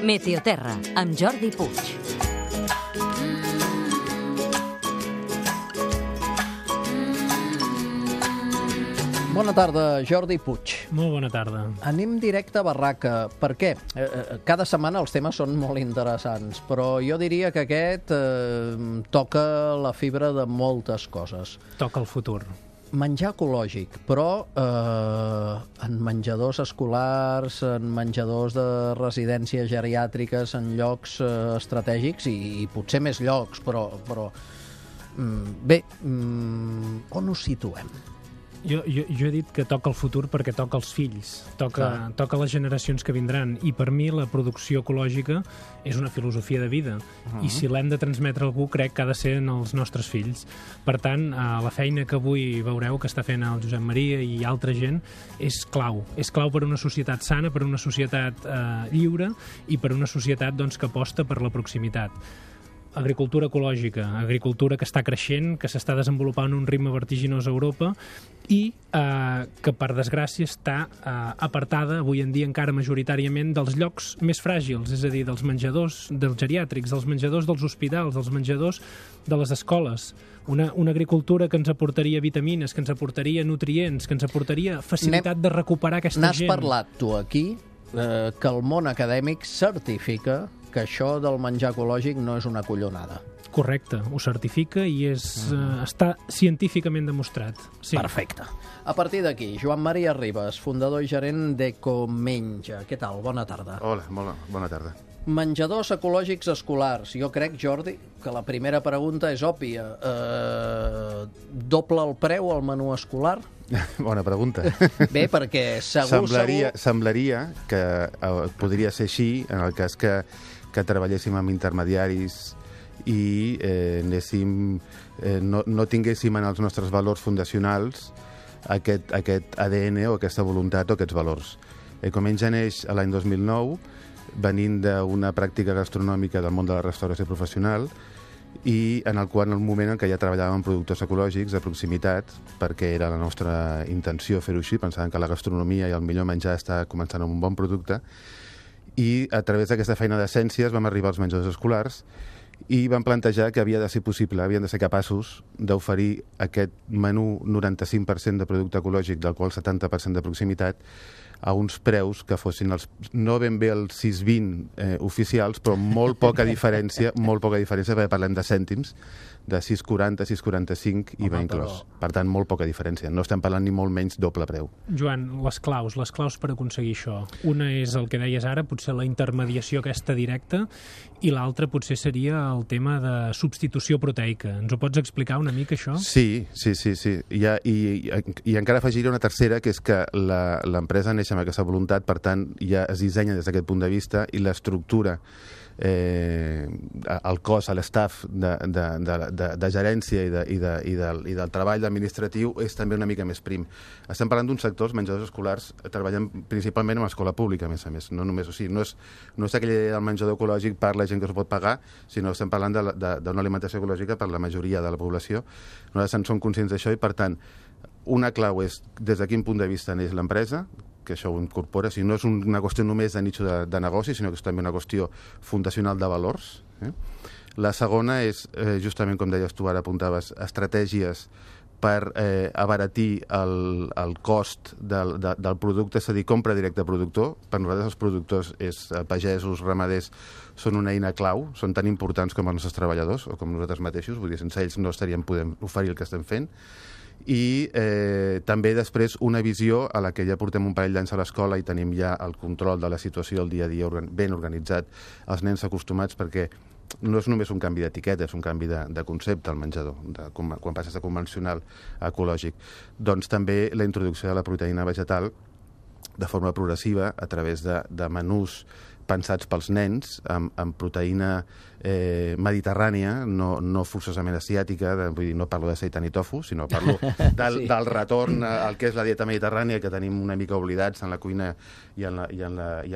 Meteoterra, amb Jordi Puig. Bona tarda, Jordi Puig. Molt bona tarda. Anem directe a barraca. Per què? Cada setmana els temes són molt interessants, però jo diria que aquest toca la fibra de moltes coses. Toca el futur. Menjar ecològic, però en menjadors escolars, en menjadors de residències geriàtriques, en llocs estratègics i potser més llocs, però bé, on ho situem? Jo he dit que toca el futur perquè toca els fills, toca les generacions que vindran, i per mi la producció ecològica és una filosofia de vida, i si l'hem de transmetre a algú crec que ha de ser en els nostres fills. Per tant, la feina que avui veureu que està fent el Josep Maria i altra gent és clau per a una societat sana, per a una societat lliure i per a una societat que aposta per la proximitat. Agricultura ecològica, agricultura que està creixent, que s'està desenvolupant a un ritme vertiginós a Europa i que, per desgràcia, està apartada avui en dia encara majoritàriament dels llocs més fràgils, és a dir, dels menjadors dels geriàtrics, dels menjadors dels hospitals, dels menjadors de les escoles. Una agricultura que ens aportaria vitamines, que ens aportaria nutrients, que ens aportaria facilitat de recuperar aquesta gent. N'has parlat tu aquí que el món acadèmic certifica que això del menjar ecològic no és una collonada. Correcte, ho certifica i està científicament demostrat. Sí. Perfecte. A partir d'aquí, Joan Maria Ribas, fundador i gerent d'Ecomenja. Què tal? Bona tarda. Hola, bona tarda. Menjadors ecològics escolars. Jo crec, Jordi, que la primera pregunta és òbvia. Doble el preu al menú escolar? Bona pregunta. Bé, perquè Semblaria que podria ser així en el cas que treballéssim amb intermediaris i no tinguéssim en els nostres valors fundacionals aquest ADN o aquesta voluntat o aquests valors. Ecomenja neix l'any 2009 venint d'una pràctica gastronòmica del món de la restauració professional i en el moment en què ja treballàvem amb productors ecològics de proximitat, perquè era la nostra intenció fer-ho així, pensàvem que la gastronomia i el millor menjar està començant amb un bon producte, i a través d'aquesta feina d'essències vam arribar als menjadors escolars i vam plantejar que havia de ser possible, havien de ser capaços d'oferir aquest menú 95% de producte ecològic, del qual 70% de proximitat, a uns preus que fossin no ben bé els 6,20 oficials, però molt poca diferència, perquè parlem de cèntims, de 6,40, 6,45 i va inclòs. Per tant, molt poca diferència. No estem parlant ni molt menys doble preu. Joan, les claus per aconseguir això. Una és el que deies ara, potser la intermediació aquesta directa, i l'altra potser seria el tema de substitució proteica. Ens ho pots explicar una mica, això? Sí. I encara afegiré una tercera, que és que l'empresa neix amb aquesta voluntat, per tant, ja es dissenya des d'aquest punt de vista i l'estructura, el cos, l'estaf de gerència i del treball administratiu és també una mica més prim. Estem parlant d'uns sectors, menjadors escolars, treballen principalment en l'escola pública, a més a més. No només, no és aquella idea del menjador ecològic per la gent que s'ho pot pagar, sinó que estem parlant d'una alimentació ecològica per la majoria de la població. Nosaltres en som conscients d'això i, per tant, una clau és des de quin punt de vista neix l'empresa, que això ho incorpora, si no és una qüestió només de nicho de negoci, sinó que és també una qüestió fundacional de valors. La segona és, justament com deies tu, ara apuntaves, estratègies per abaratir el cost del producte, és a dir, compra directe a productor. Per nosaltres els productors, pagesos, ramaders, són una eina clau, són tan importants com els nostres treballadors o com nosaltres mateixos, vull dir, sense ells no estaríem podent oferir el que estem fent. I també després una visió a la que ja portem un parell d'anys a l'escola i tenim ja el control de la situació del dia a dia ben organitzat, els nens acostumats, perquè no és només un canvi d'etiqueta, és un canvi de concepte al menjador, quan passes de convencional a ecològic. Doncs també la introducció de la proteïna vegetal de forma progressiva a través de menús pensats pels nens, amb proteïna mediterrània, no forçosament asiàtica, vull dir, no parlo de seitan i tofu, sinó parlo del retorn al que és la dieta mediterrània, que tenim una mica oblidats en la cuina i en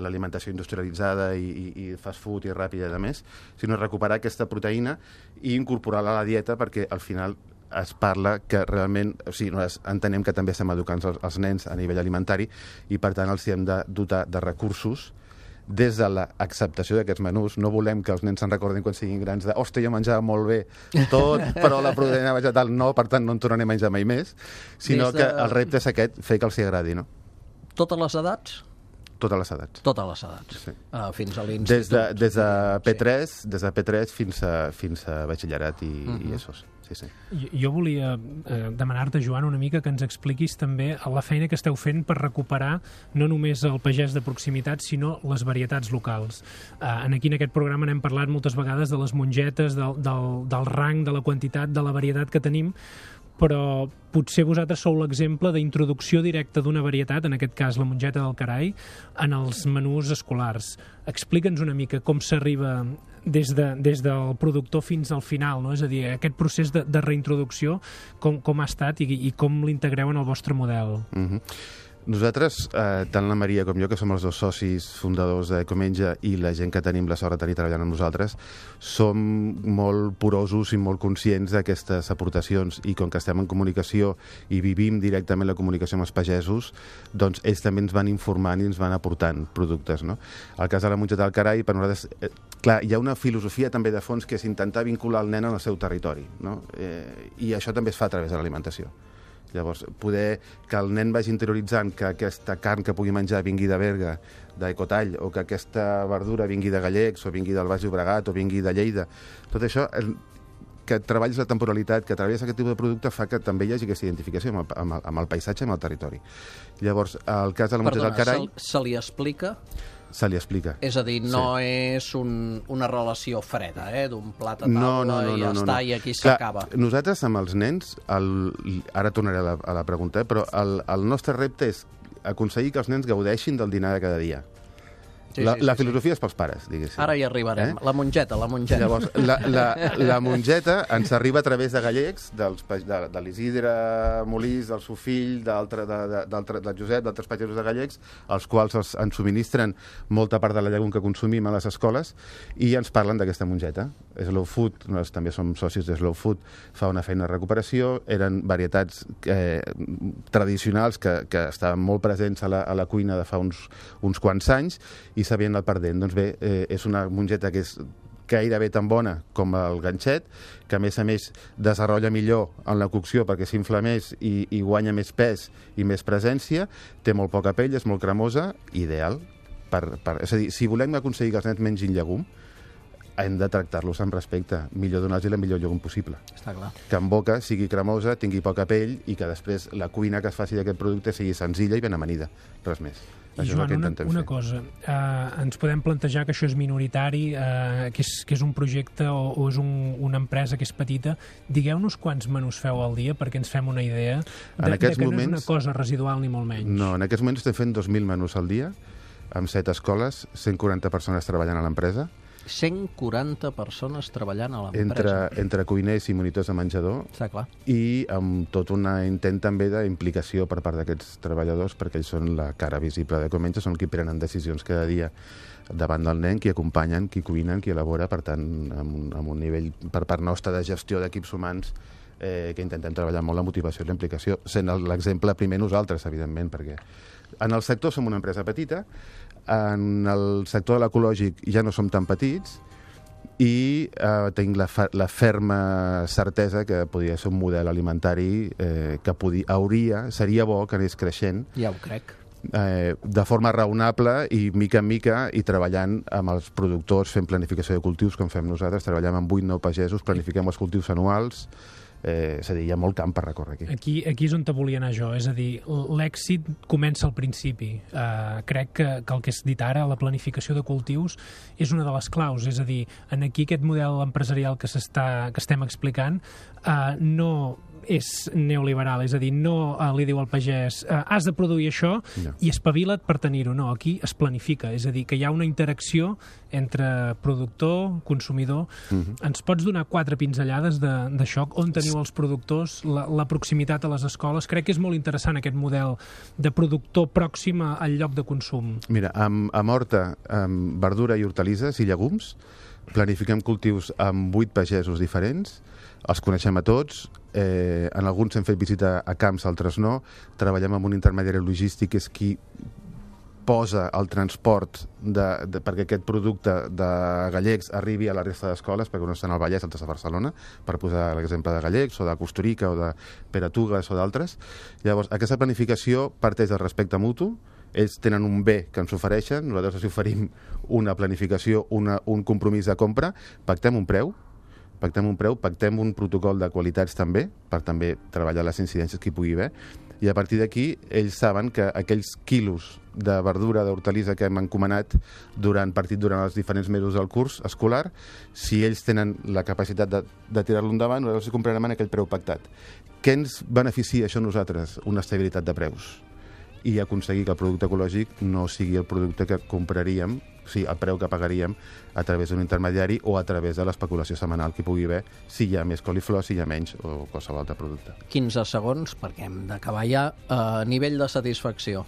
l'alimentació industrialitzada i fast food i ràpida i a més, sinó recuperar aquesta proteïna i incorporar-la a la dieta, perquè al final es parla que realment, o sigui, nosaltres entenem que també estem educant els nens a nivell alimentari i per tant els hem de dotar de recursos des de l'acceptació d'aquests menús. No volem que els nens se'n recordin quan siguin grans de hòstia, jo menjava molt bé tot, però la proteïna vegetal no, per tant no en tornaré a menjar mai més, sinó que el repte és aquest, fer que els agradi, no? Totes les edats? Totes les edats. Totes les edats. Sí. Fins a l'institut. Des de P3 fins a batxillerat i ESOs. Sí. Jo volia demanar-te, Joan, una mica que ens expliquis també la feina que esteu fent per recuperar no només el pagès de proximitat, sinó les varietats locals. Aquí en aquest programa n'hem parlat moltes vegades de les mongetes, del rang, de la quantitat, de la varietat que tenim, però potser vosaltres sou l'exemple d'introducció directa d'una varietat, en aquest cas la mongeta del Carai, en els menús escolars. Explica'ns una mica com s'arriba des del productor fins al final, no? És a dir, aquest procés de reintroducció, com ha estat i com l'integreu en el vostre model. Nosaltres, tant la Maria com jo, que som els dos socis fundadors d'Ecomenja, i la gent que tenim la sort de tenir treballant amb nosaltres, som molt porosos i molt conscients d'aquestes aportacions, i com que estem en comunicació i vivim directament la comunicació amb els pagesos, doncs ells també ens van informant i ens van aportant productes, no? El cas de la mongeta del Carai, per nosaltres, clar, hi ha una filosofia també de fons que és intentar vincular el nen en el seu territori, no? I això també es fa a través de l'alimentació. Llavors, poder que el nen vagi interioritzant que aquesta carn que pugui menjar vingui de Berga, d'Ecotall, o que aquesta verdura vingui de Gallecs, o vingui del Baix Llobregat, o vingui de Lleida. Tot això, que treballis la temporalitat, que treballis aquest tipus de producte, fa que també hi hagi aquesta identificació amb el paisatge i amb el territori. Llavors, el cas de la mongeta del Carai... se li explica? Se li explica. És a dir, no és una relació freda, d'un plat a taula i ja està, i aquí s'acaba. Nosaltres amb els nens, ara tornaré a la pregunta, però el nostre repte és aconseguir que els nens gaudeixin del dinar de cada dia. La filosofia és pels pares, diguéssim. Ara hi arribarem. La mongeta. Llavors, la mongeta ens arriba a través de Gallecs, de l'Isidre Molís, del seu fill, del Josep, d'altres pagesos de Gallecs, els quals ens subministren molta part de la llegum que consumim a les escoles, i ens parlen d'aquesta mongeta. Slow Food, nosaltres també som socis de Slow Food, fa una feina de recuperació, eren varietats tradicionals que estaven molt presents a la cuina de fa uns quants anys, i s'havien anat perdent. Doncs bé, és una mongeta que és gairebé tan bona com el ganxet, que a més desenvolupa millor en la cocció perquè s'infla més i guanya més pes i més presència, té molt poca pell, és molt cremosa, ideal. És a dir, si volem aconseguir que els nens mengin llegum, hem de tractar-los amb respecte, millor donar-los la millor llegum possible. Està clar. Que en boca sigui cremosa, tingui poca pell, i que després la cuina que es faci d'aquest producte sigui senzilla i ben amanida, res més. I Joan, una cosa, ens podem plantejar que això és minoritari, que és un projecte o és una empresa que és petita. Digueu-nos quants menús feu al dia perquè ens fem una idea que no és una cosa residual ni molt menys. No, en aquests moments estem fent 2.000 menús al dia, amb 7 escoles, 140 persones treballant a l'empresa. 140 persones treballant a l'empresa. Entre cuiners i monitors de menjador. Està clar. I amb tot un intent també d'implicació per part d'aquests treballadors, perquè ells són la cara visible d'Ecomenja, són qui prenen decisions cada dia davant del nen, qui acompanyen, qui cuinen, qui elabora, per tant, amb un nivell per part nostra de gestió d'equips humans, que intentem treballar molt la motivació i la implicació, sent l'exemple primer nosaltres, evidentment, perquè en el sector som una empresa petita, en el sector de l'ecològic ja no som tan petits, i tinc la ferma certesa que podria ser un model alimentari que seria bo que anés creixent. Ja ho crec. De forma raonable i mica en mica, i treballant amb els productors, fent planificació de cultius com fem nosaltres, treballem amb 8 o 9 pagesos, planifiquem els cultius anuals. És a dir, hi ha molt camp per recórrer aquí. Aquí és on te volia anar jo, és a dir, l'èxit comença al principi. Crec que el que has dit ara, la planificació de cultius, és una de les claus, és a dir, aquí aquest model empresarial que estem explicant no és neoliberal, és a dir, no li diu al pagès has de produir això i espavila't per tenir-ho, no, aquí es planifica, és a dir, que hi ha una interacció entre productor, consumidor. Ens pots donar 4 pinzellades d'això, on teniu els productors, la proximitat a les escoles? Crec que és molt interessant aquest model de productor pròxim al lloc de consum. Mira, amb horta, amb verdura i hortalisses i llegums, planifiquem cultius amb 8 pagesos diferents, els coneixem a tots, en alguns hem fet visita a camps, altres no, treballem amb un intermediari logístic que és qui posa el transport perquè aquest producte de gallecs arribi a la resta d'escoles, perquè no estan al Vallès, altres a Barcelona, per posar l'exemple de gallecs, o de Costurica, o de Peratugues, o d'altres. Llavors, aquesta planificació parteix del respecte mutu, ells tenen un bé que ens ofereixen, nosaltres els oferim una planificació, un compromís de compra, pactem un preu, pactem un protocol de qualitats també, per també treballar les incidències que hi pugui haver, i a partir d'aquí ells saben que aquells quilos de verdura, d'hortalissa que hem encomanat durant els diferents mesos del curs escolar, si ells tenen la capacitat de tirar-lo endavant, nosaltres els comprarem en aquell preu pactat. Què ens beneficia això a nosaltres? Una estabilitat de preus i aconseguir que el producte ecològic no sigui el producte que compraríem, o sigui, el preu que pagaríem a través d'un intermediari o a través de l'especulació setmanal que hi pugui haver, si hi ha més coliflor, si hi ha menys o qualsevol altre producte. 15 segons, perquè hem d'acabar ja. Nivell de satisfacció.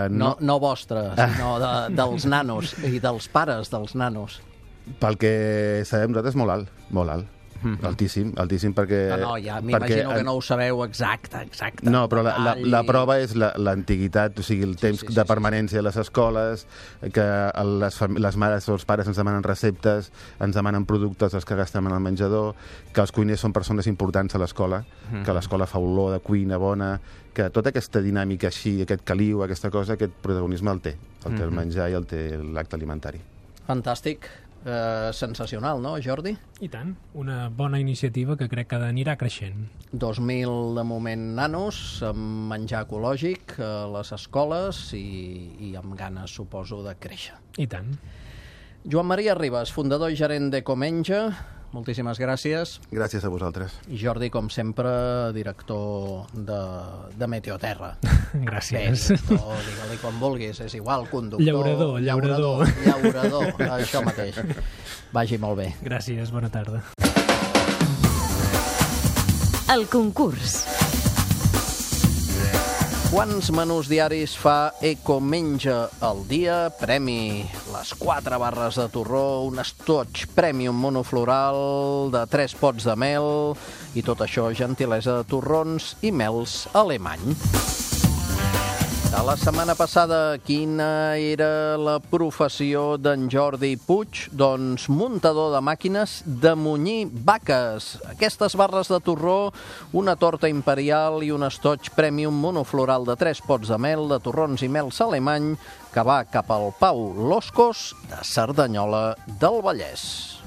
No vostre, sinó dels nanos i dels pares dels nanos. Pel que sabem nosaltres, molt alt, molt alt. Altíssim perquè... No, ja m'imagino que no ho sabeu exacte. No, però la prova és l'antiguitat, o sigui, el temps de permanència a les escoles, que les mares o els pares ens demanen receptes, ens demanen productes els que gastem en el menjador, que els cuiners són persones importants a l'escola, que l'escola fa olor de cuina bona, que tota aquesta dinàmica així, aquest caliu, aquesta cosa, aquest protagonisme el té el menjar i el té l'acte alimentari. Fantàstic. Sensacional, no, Jordi? I tant, una bona iniciativa que crec que anirà creixent. 2.000 de moment nanos amb menjar ecològic a les escoles i amb ganes, suposo, de créixer. I tant. Joan Maria Ribas, fundador i gerent d'Ecomenja, moltíssimes gràcies. Gràcies a vosaltres. I Jordi, com sempre, director de Meteoterra. Gràcies. Bé, director, digue-li com vulguis, és igual, conductor... Llaurador. Això mateix. Vagi molt bé. Gràcies, bona tarda. El concurs. Quants menús diaris fa Ecomenja al dia? Premi: les 4 barres de torró, un estoig premium monofloral de 3 pots de mel i tot això gentilesa de torrons i mels alemany. De la setmana passada, quina era la professió d'en Jordi Puig? Doncs muntador de màquines de munyir vaques. Aquestes barres de torró, una torta imperial i un estoig premium monofloral de 3 pots de mel, de torrons i mels alemany, que va cap al Pau Loscos de Cerdanyola del Vallès.